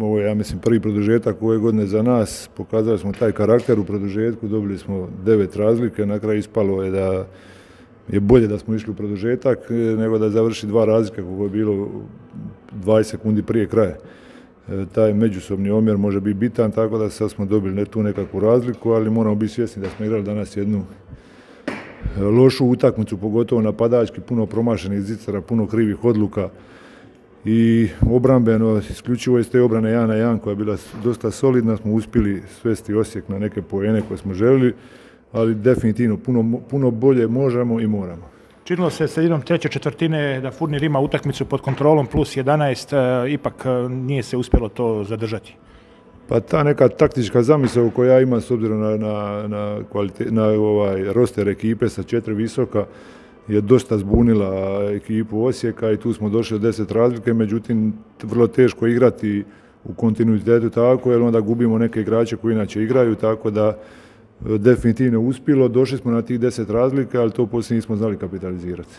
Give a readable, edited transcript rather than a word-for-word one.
ovo je, ja mislim, prvi produžetak ove godine za nas. Pokazali smo taj karakter u produžetku, dobili smo 9 razlike, na kraju ispalo je da je bolje da smo išli u produžetak nego da završi 2 razlike kako je bilo 20 sekundi prije kraja. Taj međusobni omjer može biti bitan, tako da sad smo dobili tu nekakvu razliku, ali moramo biti svjesni da smo igrali danas jednu lošu utakmicu, pogotovo napadački, puno promašenih zicara, puno krivih odluka i obrambeno, isključivo iz te obrane 1-1 koja je bila dosta solidna, smo uspjeli svesti Osijek na neke poene koje smo željeli, ali definitivno puno bolje možemo i moramo. Činilo se sredinom treće četvrtine da Furnir ima utakmicu pod kontrolom plus 11, ipak nije se uspjelo to zadržati. Pa ta neka taktička zamisao koju ja imam s obzirom na roster ekipe sa 4 visoka je dosta zbunila ekipu Osijeka i tu smo došli do 10 razlike, međutim vrlo teško igrati u kontinuitetu tako jer onda gubimo neke igrače koji inače igraju, tako da definitivno uspjelo, došli smo na tih 10 razlika, ali to poslije nismo znali kapitalizirati.